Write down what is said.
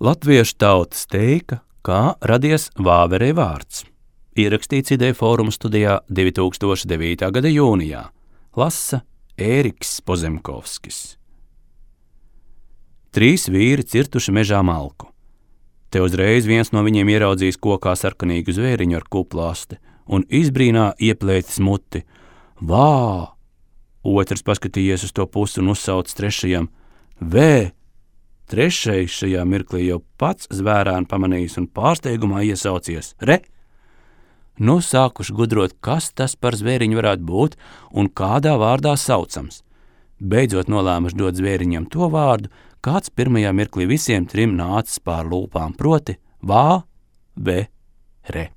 Latviešu tautas teika, kā radies Vāverei vārds. Ierakstīts Ideju fóruma studijā 2009. gada jūnijā. Lasa Ēriks Pozemkovskis. 3 vīri cirtuši mežā malku. Te uzreiz viens no viņiem ieraudzījis kokā sarkanīgu zvēriņu ar kuplu asti un izbrīnā ieplēcis muti. Vā! Otrs paskatījies uz to pusi un uzsaucis trešajam. Vē! Trešais šajā mirklī jau pats zvērānu pamanījis un pārsteigumā iesaucies. Re! Nu sākuši gudrot, kas tas par zvēriņu varētu būt un kādā vārdā saucams. Beidzot nolēmuši dot zvēriņam to vārdu, kāds pirmajā mirklī visiem 3 nācis pār lūpām, proti vā, ve, re.